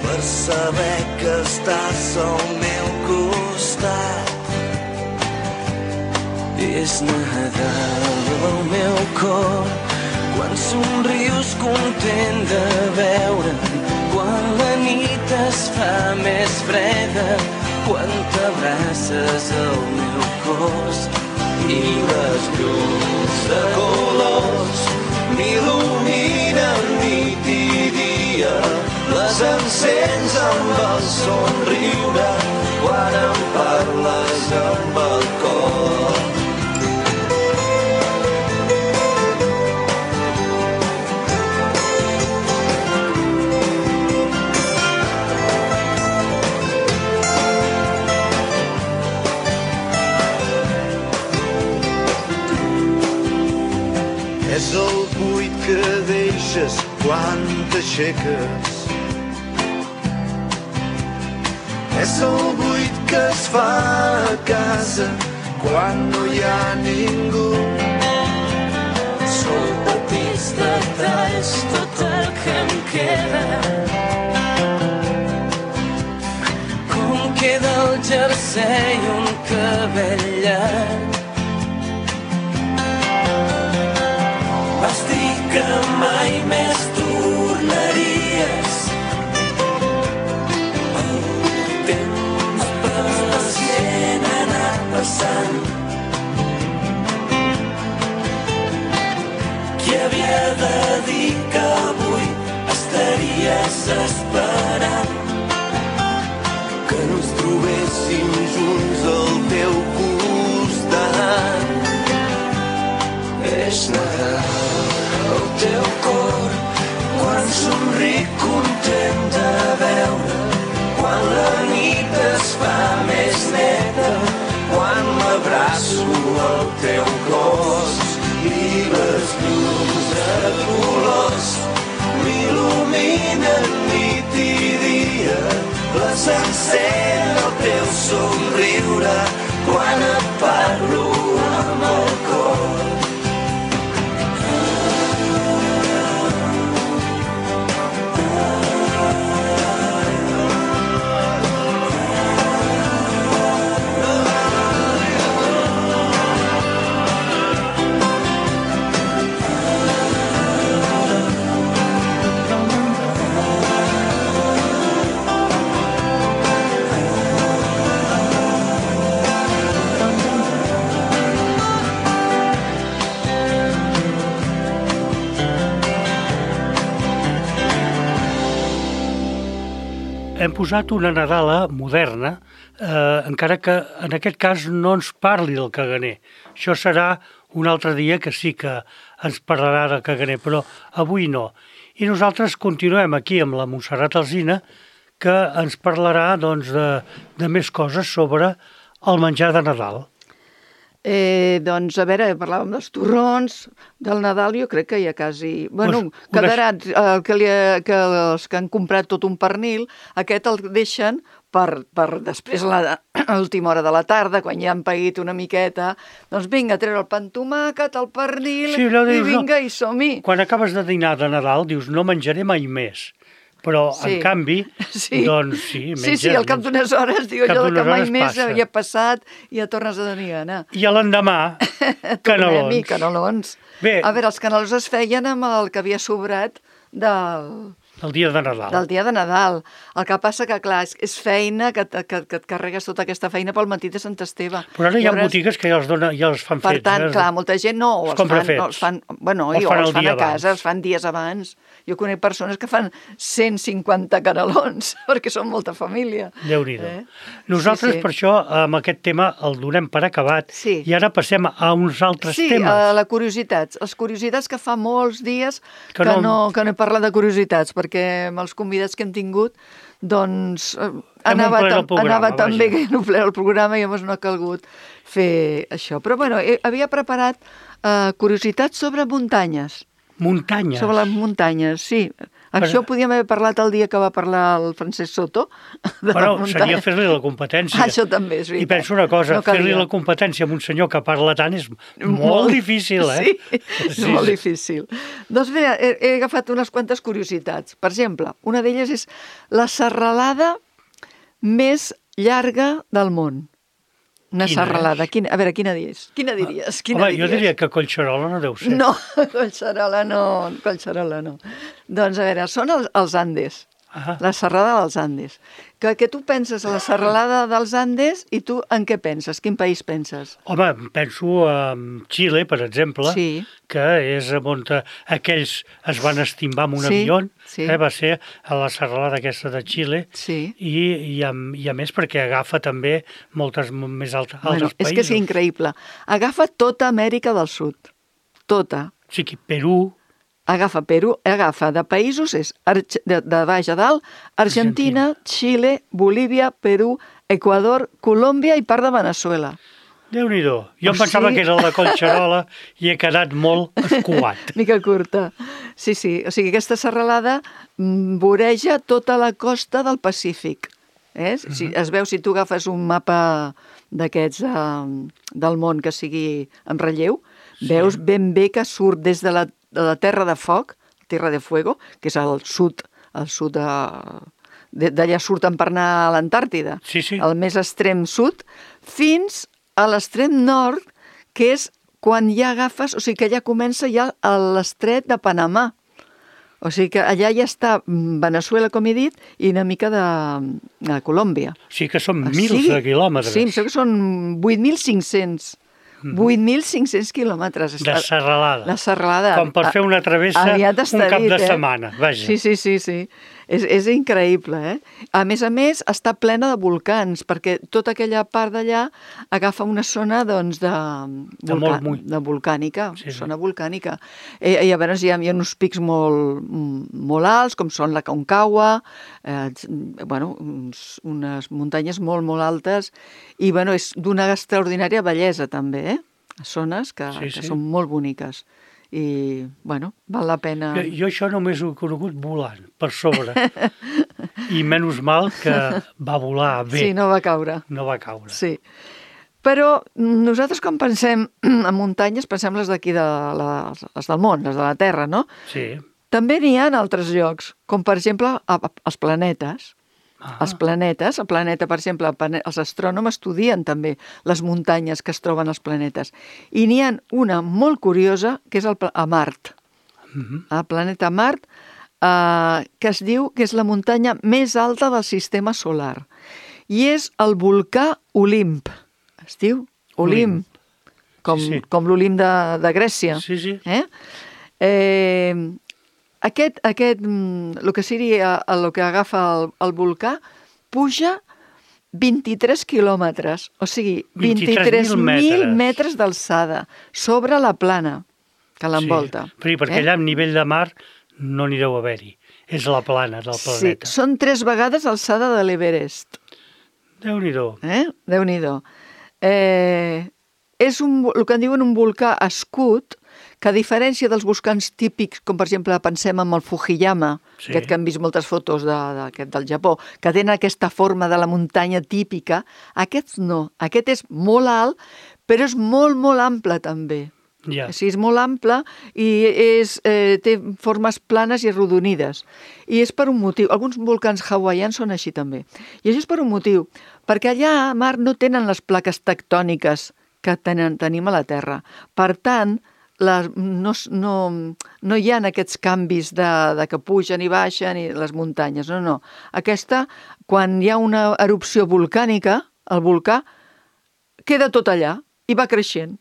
per saber que estàs al meu costat. és Nadal al meu cor, quan somrius content de veure'm, quan la nit es fa més freda, quan t'abraces al meu cos i les llums de colors m'il·luminen nit i dia, les encens amb el somriure quan em parles amb el cor. És el buit que deixes quan t'aixeques, és el buit que es fa a casa quan no hi ha ningú. Són petits detalls tot el que em queda, com queda el jersei un cabell llarg, vas dir que mai més tornaries, el temps pacient ha anat passant, qui havia de dir que avui estaries esperant Que no ens trobéssim junts al teu costat. és Nadal al teu cor, quan somric content de veure, quan la nit es fa més neta, quan m'abraço al teu cos I les llums de colors m'il·luminen nit i dia, les encén el teu somriure quan et parlo amb el cor. Hem posat una Nadala moderna, eh, encara que en aquest cas no ens parli del caganer. Això serà un altre dia que sí que ens parlarà del caganer, però avui no. I nosaltres continuem aquí amb la Montserrat Alsina, que ens parlarà doncs, de, de més coses sobre el menjar de Nadal. Eh, doncs, a veure, parlàvem dels torrons, del Nadal, jo crec que ja quasi... Bueno, Pues, quedarà el que, li, que els que han comprat tot un pernil, aquest el deixen per, per després a la- a l'última hora de la tarda, quan ja han paït una miqueta, doncs vinga, a treure el pa amb tomàquet, el pernil, Sí, allò i dius, vinga, no? i som-hi. Quan acabes de dinar de Nadal, dius, no menjaré mai més. Però, Sí. en canvi, Sí. doncs sí, menja. Sí, sí, al cap menja. d'unes hores, diu Cap allò de que d'unes mai hores més passa. havia passat i ja tornes a tenir gana. I a l'endemà, Tornem-hi, canelons. canelons. Bé. A veure, els canelons es feien amb el que havia sobrat del, El dia de Nadal. del dia de Nadal. El que passa que, clar, és, és feina que, que, que et carregues tota aquesta feina pel matí de Sant Esteve. Però ara hi ha Llavors, botigues que ja els, dona, ja els fan per fets. tant, eh? clar, molta gent no, o Els els, compra fan, no, fets. els fan, bueno, O els i, o fan els el fan dia a casa, abans. els fan dies abans. Jo conec persones que fan cent cinquanta canelons, perquè són molta família. Déu-n'hi-do. Eh? Nosaltres, Sí, sí. per això, amb aquest tema el donem per acabat. Sí. I ara passem a uns altres Sí, temes. a la curiositats. Les curiositats que fa molts dies Que que, no- no... que no he parlat de curiositats, perquè amb els convidats que hem tingut, doncs eh, Hem anava, omplert el tam programa, anava tan bé vaja. que hem omplert el programa i llavors no ha calgut fer això. Però bueno, he, havia preparat eh, curiositats sobre muntanyes. Muntanyes. Sobre les muntanyes, sí. Això ho podíem haver parlat el dia que va parlar el Francesc Soto. De Bueno, les seria muntanyes. fer-li la competència. Ah, això també és veritat. I penso una cosa, No fer-li calia. la competència a un senyor que parla tant és molt difícil, eh? Sí, és molt difícil. Doncs bé, he, he agafat unes quantes curiositats. Per exemple, una d'elles és la serralada més llarga del món. Una Quina serralada. és? Quina, a veure, quina diries? Quina diries? Quina Home, diries? jo diria que Collserola no deu ser. No, Collserola no, Collserola no. Doncs a veure, són els, els Andes. Ah. La serrada dels Andes. Que, que tu penses a la serralada dels Andes i tu en què penses? Quin país penses? Home, penso en Xile, per exemple, Sí. que és on aquells es van estimbar amb un Sí, avió, sí. eh, va ser a la serralada aquesta de Xile, Sí. i, i, a, i a més perquè agafa també moltes m- més altres, Bueno, altres és països. que és increïble. Agafa tota Amèrica del Sud. Tota. O sigui, Perú, Agafa Perú, agafa de països, és Arge- de, de baix a dalt, Argentina, Xile, Bolívia, Perú, Equador, Colòmbia i part de Venezuela. Déu-n'hi-do. Jo O em pensava sigui- que era el de Collserola i he quedat molt escuat. Mica curta. Sí, sí. O sigui, aquesta serralada mm, voreja tota la costa del Pacífic. Eh? Si, es veu, si tu agafes un mapa d'aquests eh, del món que sigui en relleu, sí. Veus ben bé que surt des de la, de la Terra de Foc, Terra de Fuego, que és al sud, al sud de... de- d'allà surten per anar a l'Antàrtida, Sí, sí. al més extrem sud, fins a l'extrem nord, que és quan ja agafes, o sigui que ja comença ja a l'estret de Panamà. O sigui que allà ja està mm, Venezuela, com he dit, i una mica de, de Colòmbia. O sigui que són O mils sigui, de quilòmetres Sí, em sembla que són vuit mil cinc-cents. vuit mil cinc-cents quilòmetres. de serralada. La serralada. Com per fer una travessa Aviat un està cap dit, de eh? setmana. Vaja. Sí, sí, sí, sí. És, és increïble, eh? A més a més, està plena de volcans, perquè tota aquella part d'allà agafa una zona, doncs, de, De molt mull. de volcànica, Sí, sí. zona volcànica. I, i a veure, hi ha, hi ha uns pics molt, molt alts, com són la Concagua, eh, bueno, uns, unes muntanyes molt, molt altes, i, bueno, és d'una extraordinària bellesa, també, eh? Zones que, Sí, que sí. són molt boniques. I, bueno, val la pena... Jo, jo això només ho he conegut volant, per sobre. I menys mal que va volar bé. Sí, no va caure. No va caure. Sí. Però nosaltres quan pensem en muntanyes, pensem les d'aquí, de les, les del món, les de la Terra, no? Sí. També n'hi ha en altres llocs, com per exemple a, a, els planetes. Ah. Els planetes, el planeta, per exemple, el plane- els astrònoms estudien també les muntanyes que es troben als planetes. I n'hi ha una molt curiosa, que és el, pla- a Mart. Mhm. El planeta Mart, eh, que es diu que és la muntanya més alta del sistema solar. I és el volcà Olimp. Es diu Olimp, com, Sí, sí. com l'Olimp de, de Grècia. Sí, sí. Eh? Eh, aquest, aquest, mm, el que seria el que agafa el, el volcà, puja vint-i-tres quilòmetres, o sigui, vint-i-tres mil metres. metres d'alçada, sobre la plana que l'envolta. Sí. Però, perquè allà, a nivell de mar, no n'hi deu haver-hi. És la plana del Sí, planeta. són tres vegades alçada de l'Everest. Déu-n'hi-do. Eh? Déu-n'hi-do. Eh, és un, el que en diuen un volcà escut, que a diferència dels volcans típics, com per exemple pensem en el Fujiyama, Sí. aquest que hem vist moltes fotos de, de, del Japó, que tenen aquesta forma de la muntanya típica, aquest no. Aquest és molt alt, però és molt, molt ample també. Ja. O sigui, és molt ample i és, eh, té formes planes i arrodonides. I és per un motiu. Alguns volcans hawaians són així també. I això és per un motiu. Perquè allà, Marc, no tenen les plaques tectòniques que tenen, tenim a la Terra. Per tant, les, no, no, no hi ha aquests canvis de, de que pugen i baixen i les muntanyes. No, no. Aquesta, quan hi ha una erupció volcànica, el volcà queda tot allà i va creixent.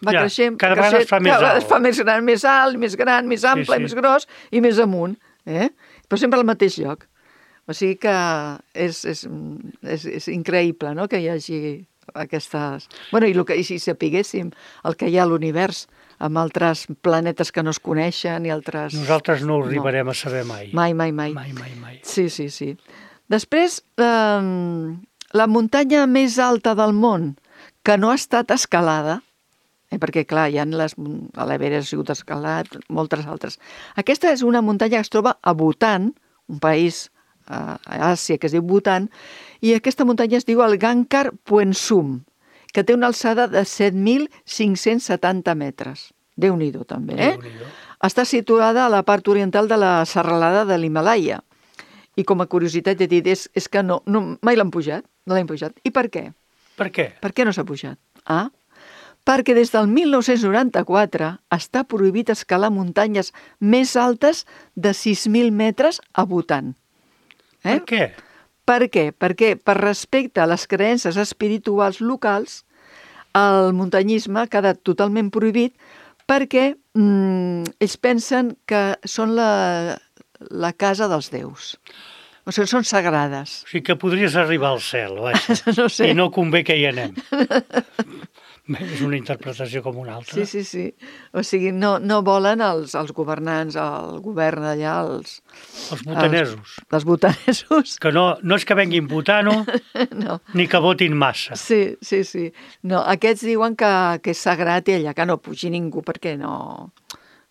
Va ja, creixent, cada creixent, vegada es fa més cada alt. es fa més gran, més alt, més gran, més ample, sí. més gros i més amunt. Eh? Però sempre al mateix lloc. O sigui que és, és, és, és increïble, no?, que hi hagi aquestes... Bueno, i, que, i si sapiguéssim el que hi ha a l'univers, amb altres planetes que no es coneixen i altres... Nosaltres no ho arribarem no. a saber mai. Mai, mai, mai. Mai, mai, mai. Sí, sí, sí. Després, eh, la muntanya més alta del món que no ha estat escalada, eh, perquè, clar, hi ha les... a l'Everest ha sigut escalat, moltes altres. Aquesta és una muntanya que es troba a Bhutan, un país a Àsia que es diu Bhutan, i aquesta muntanya es diu el Gangkhar Puensum, que té una alçada de set mil cinc-cents setanta metres. Déu-n'hi-do, també, eh? Déu-n'hi-do. Està situada a la part oriental de la serralada de l'Himàlaia. I com a curiositat he dit, és, és que no, no mai l'han pujat, no l'han pujat. I per què? Per què? Per què no s'ha pujat? Ah, perquè des del mil nou-cents noranta-quatre està prohibit escalar muntanyes més altes de sis mil metres a Bhutan. Eh? Per què? Per què? Perquè per respecte a les creences espirituals locals, el muntanyisme ha quedat totalment prohibit perquè mm, ells pensen que són la, la casa dels déus. O sigui, són sagrades. O sigui que podries arribar al cel, vaja. No sé. I no convé que hi anem. Bé, és una interpretació com una altra. Sí, sí, sí. O sigui, no, no volen els, els governants, el govern d'allà, els... Els butanesos. Els, els butanesos. Que no, no és que venguin butano, No. ni que votin massa. Sí, sí, sí. No, aquests diuen que, que és sagrat i allà que no pugi ningú perquè no,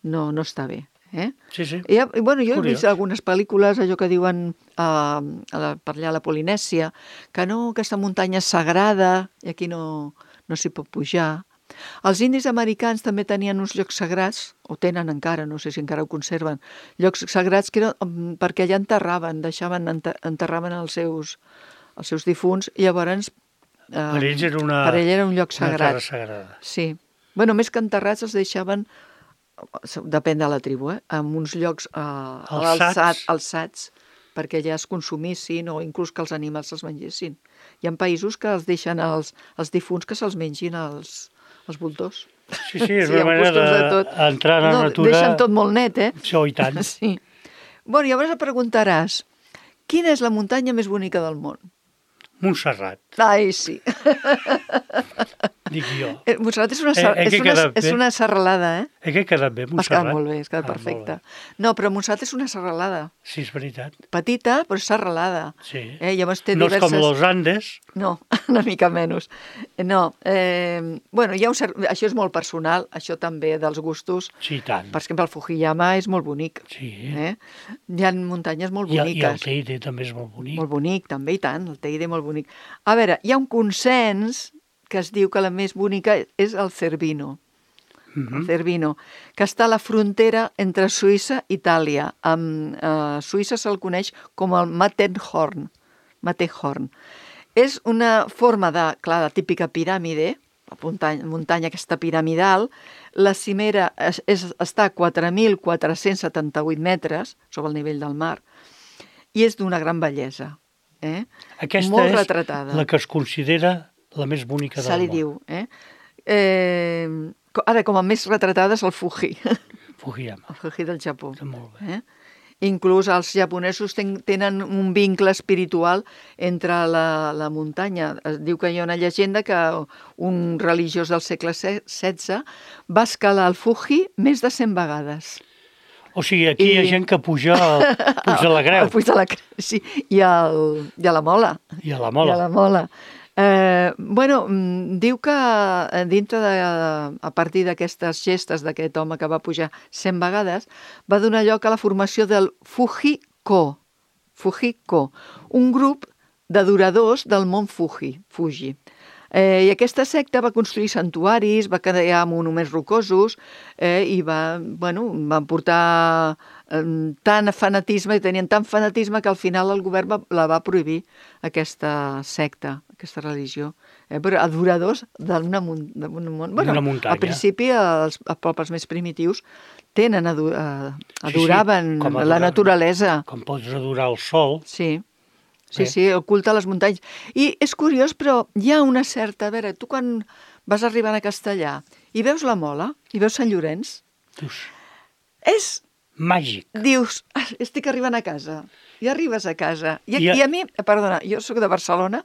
no, no està bé. Eh? Sí, sí. I, i, bueno, jo he Curiós. vist algunes pel·lícules, allò que diuen uh, a la, per allà a la Polinèsia, que no, aquesta muntanya és sagrada i aquí no, no s'hi pot pujar. Els indis americans també tenien uns llocs sagrats, o tenen encara, no sé si encara ho conserven, llocs sagrats que eren, um, perquè allà enterraven, deixaven, enter, enterraven els seus, els seus difunts, i llavors... Uh, Per ells era una, per ell era un lloc una sagrat. terra sagrada. Sí. Bueno, més que enterrats els deixaven, depèn de la tribu, eh? En uns llocs eh, Alçats. alçat, alçats perquè ja es consumissin o inclús que els animals els mengessin. Hi ha països que els deixen els, els difunts que se'ls mengin els, els voltors. Sí, sí, és Sí, hi una ha manera costums de tot. d'entrar en la No, natura... deixen tot molt net, eh? Sí, oh, i tant. Sí. Bueno, llavors et preguntaràs, quina és la muntanya més bonica del món? Montserrat, Ai, sí. dic jo. Eh, Montserrat és una, ser... Eh, eh, és que una, quedat és bé. una serralada, eh? Eh, que ha quedat bé, Has Montserrat? quedat molt bé, has quedat Ah, perfecte. molt bé. No, però Montserrat és una serralada. Sí, és veritat. Petita, però és serralada. Sí. Eh, llavors té No diverses... és com los Andes. No, una mica menys. No, eh, bueno, hi ha un cert... això és molt personal, això també dels gustos. Sí, i tant. Per exemple, el Fujiyama és molt bonic. Sí. Eh? Hi ha muntanyes molt I, el- boniques. I el Teide també és molt bonic. Molt bonic, també, i tant, el Teide molt bonic. A veure, hi ha un consens que es diu que la més bonica és el Cervino. Mhm. El Cervino, que està a la frontera entre Suïssa i Itàlia. Amb eh, Suïssa se'l coneix com el Matterhorn. Matterhorn. És una forma de, clar, de típica piràmide, la muntanya, muntanya aquesta piramidal. La cimera és, és, està a quatre mil quatre-cents setanta-vuit metres sobre el nivell del mar i és d'una gran bellesa. Eh? Aquesta Molt és retratada. la que es considera la més bonica Se del li món. diu. Eh? Eh, co- ara, com a més retratada és el Fuji, Fujiyama. el Fuji del Japó. Està molt bé. Eh? Inclús els japonesos ten, tenen un vincle espiritual entre la, la muntanya. Es diu que hi ha una llegenda que un religiós del segle setze va escalar el Fuji més de cent vegades. O sigui, aquí I- hi ha gent que puja al Puig de la Creu El Puig de la Creu, sí, i, el, i a la Mola. i a la I Mola. a la Mola. Eh, bueno, mm, diu que eh, dintre de, a partir d'aquestes gestes d'aquest home que va pujar cent vegades, va donar lloc a la formació del Fuji-ko, Fuji-ko, un grup d'adoradors del mont Fuji, Fuji. Eh, I aquesta secta va construir santuaris, va crear monuments rocosos eh, i va, bueno, van portar eh, tant fanatisme i tenien tant fanatisme que al final el govern va, la va prohibir, aquesta secta, aquesta religió. Eh, però adoradors d'una mun- d'un món... Bueno, D'una muntanya. al principi els, els pobles més primitius tenen, adu eh, Sí, sí, adoraven com la adoraven. naturalesa. Com pots adorar el sol. Sí, sí, Bé. sí, el culte a les muntanyes. I és curiós, però hi ha una certa... A veure, tu quan vas arribant a Castellà i veus la Mola, i veus Sant Llorenç, Dius, és... màgic. Dius, "Ah, estic arribant a casa. I arribes a casa. I, I a- I a mi, perdona, jo sóc de Barcelona,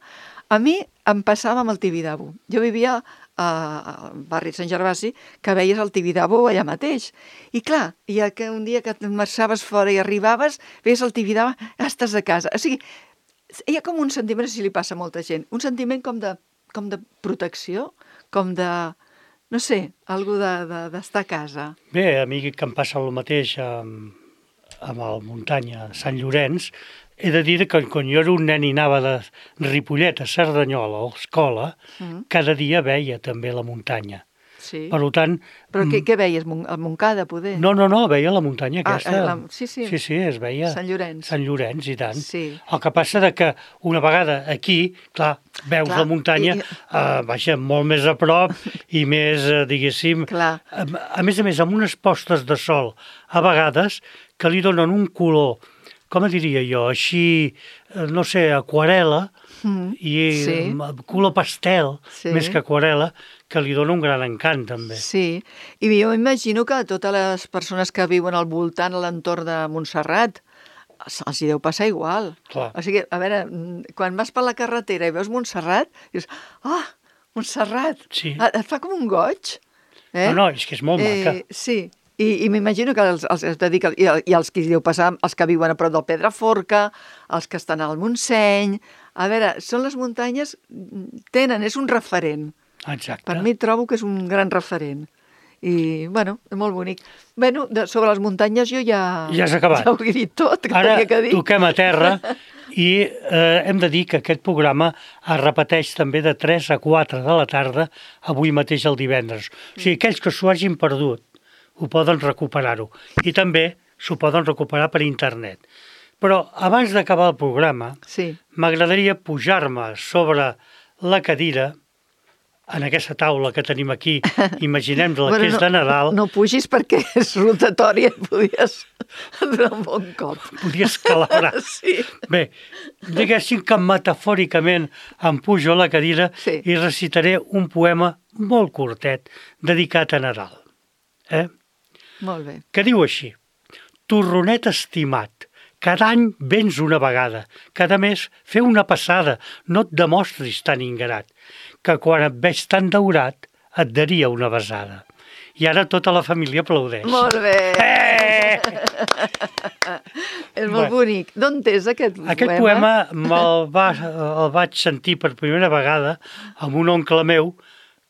a mi em passava amb el Tibidabo. Jo vivia a- al barri de Sant Gervasi, que veies el Tibidabo allà mateix. I clar, i que un dia que et marxaves fora i arribaves, veies el Tibidabo, ah, estàs a casa. O sigui, hi ha com un sentiment, si li passa a molta gent, un sentiment com de, com de protecció, com de, no sé, algú de, de, d'estar a casa. Bé, a mi que em passa el mateix amb, amb el muntanya Sant Llorenç, he de dir que quan jo era un nen i anava de Ripollet a Cerdanyola a l'escola, Mm. cada dia veia també la muntanya. Sí. Per tant... Però què, mm, què veies? Mon- A Montcada, poder? No, no, no, veia la muntanya Ah, aquesta. eh, la- sí, sí. Sí, sí, es veia. Sant Llorenç. Sant Llorenç, i tant. Sí. El que passa de que una vegada aquí, clar, veus Clar, la muntanya, i- eh, vaja, molt més a prop i més, eh, diguéssim... Clar. A, a més a més, amb unes postes de sol, a vegades, que li donen un color, com diria jo, així, eh, no sé, aquarela, Mm, i sí. eh, color pastel, Sí. més que aquarela, que li dona un gran encant, també. Sí, i jo imagino que a totes les persones que viuen al voltant, a l'entorn de Montserrat, els els hi deu passar igual. Clar. O sigui, a veure, mm, quan vas per la carretera i veus Montserrat, dius, ah, Montserrat, Sí. Ah, et fa com un goig. Eh? No, no, és que és molt maca. Sí, i, i m'imagino que els, els, es dedica, i, i els que hi deu passar, els que viuen a prop del Pedraforca, els que estan al Montseny, a veure, són les muntanyes, tenen, és un referent. Exacte. Per mi trobo que és un gran referent. I, bueno, és molt bonic. Bueno, de, sobre les muntanyes jo ja... Ja has acabat. Ja ho he dit tot, que Ara tenia que dir. toquem a terra i eh, hem de dir que aquest programa es repeteix també de tres a quatre de la tarda, avui mateix el divendres. O sigui, aquells que s'ho hagin perdut ho poden recuperar-ho. I també s'ho poden recuperar per internet. Però abans d'acabar el programa, Sí, m'agradaria pujar-me sobre la cadira, en aquesta taula que tenim aquí, imaginem-la Bueno, que és no- de Nadal, no pugis perquè és rotatòria i podies donar un bon cop. podia escalabrar. Sí. Bé, diguéssim que metafòricament em pujo a la cadira Sí. i recitaré un poema molt curtet dedicat a Nadal. Eh? Molt bé. Que diu així: Torronet estimat, cada any vens una vegada, cada mes feu una passada, no et demostris tan ingrat, que quan et veig tan daurat et daria una besada. I ara tota la família aplaudeix. Molt bé. Eh! És molt Bueno. bonic. D'on és aquest poema? Aquest poema me'l va, el vaig sentir per primera vegada amb un oncle meu,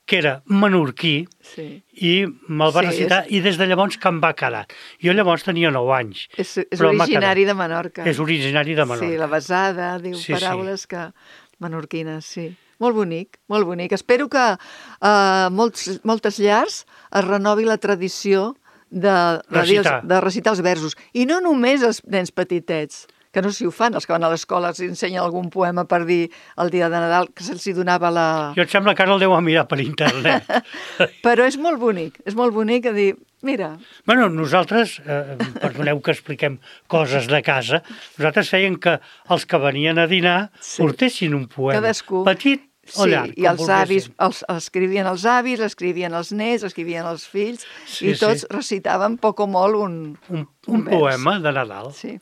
que era menorquí, Sí. i me'l va Sí, recitar, és- i des de llavors que em va quedar. Jo llavors tenia nou anys. És, és però m'ha originari quedat. de Menorca. És originari de Menorca. Sí, la besada, diu Sí, sí. paraules que... menorquines, sí. Molt bonic, molt bonic. Espero que a uh, molts, moltes llars es renovi la tradició de, de, dir els, Recitar. de recitar els versos. I no només els nens petitets, que no sé si ho fan, els que van a l'escola els ensenyen algun poema per dir el dia de Nadal, que se'ls hi donava la... Jo em sembla que ara el deu mirar per internet. Però és molt bonic, és molt bonic a dir, mira, Bueno, nosaltres, eh, perdoneu que expliquem coses de casa, nosaltres feien que els que venien a dinar Sí. portessin un poema. cadascú... Petit o Sí, llarg. i com els avis, volguessin. els, escrivien els avis, escrivien els nets, escrivien els fills, Sí, i tots sí. recitaven poc o molt un, Un, un vers. poema de Nadal. Sí.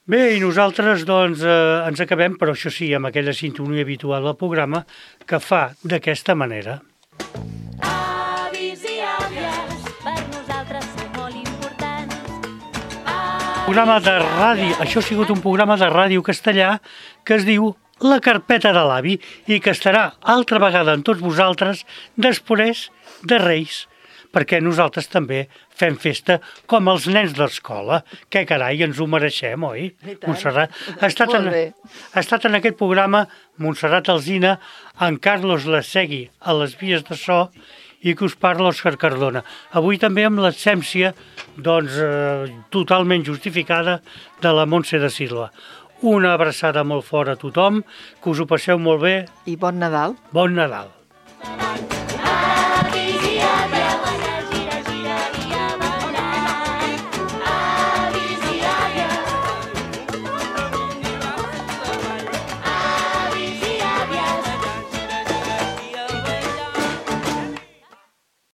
Bé, i nosaltres doncs eh, ens acabem, però això sí, amb aquella sintonia habitual del programa que fa d'aquesta manera. Avis i àvies, per nosaltres sou molt importants. Programa de ràdio, això ha sigut un programa de ràdio castellà que es diu La Carpeta de l'Avi i que estarà altra vegada amb tots vosaltres després de Reis. perquè nosaltres també fem festa com els nens d'escola. Que carai, ens ho mereixem, oi, Montserrat? Ha estat, en, ha estat en aquest programa Montserrat Alsina, en Carlos Lasegui a les vies de so i que us parla Òscar Cardona. Avui també amb l'absència doncs, eh, totalment justificada de la Montse de Silva. Una abraçada molt fort a tothom, que us ho passeu molt bé. I bon Nadal. Bon Nadal.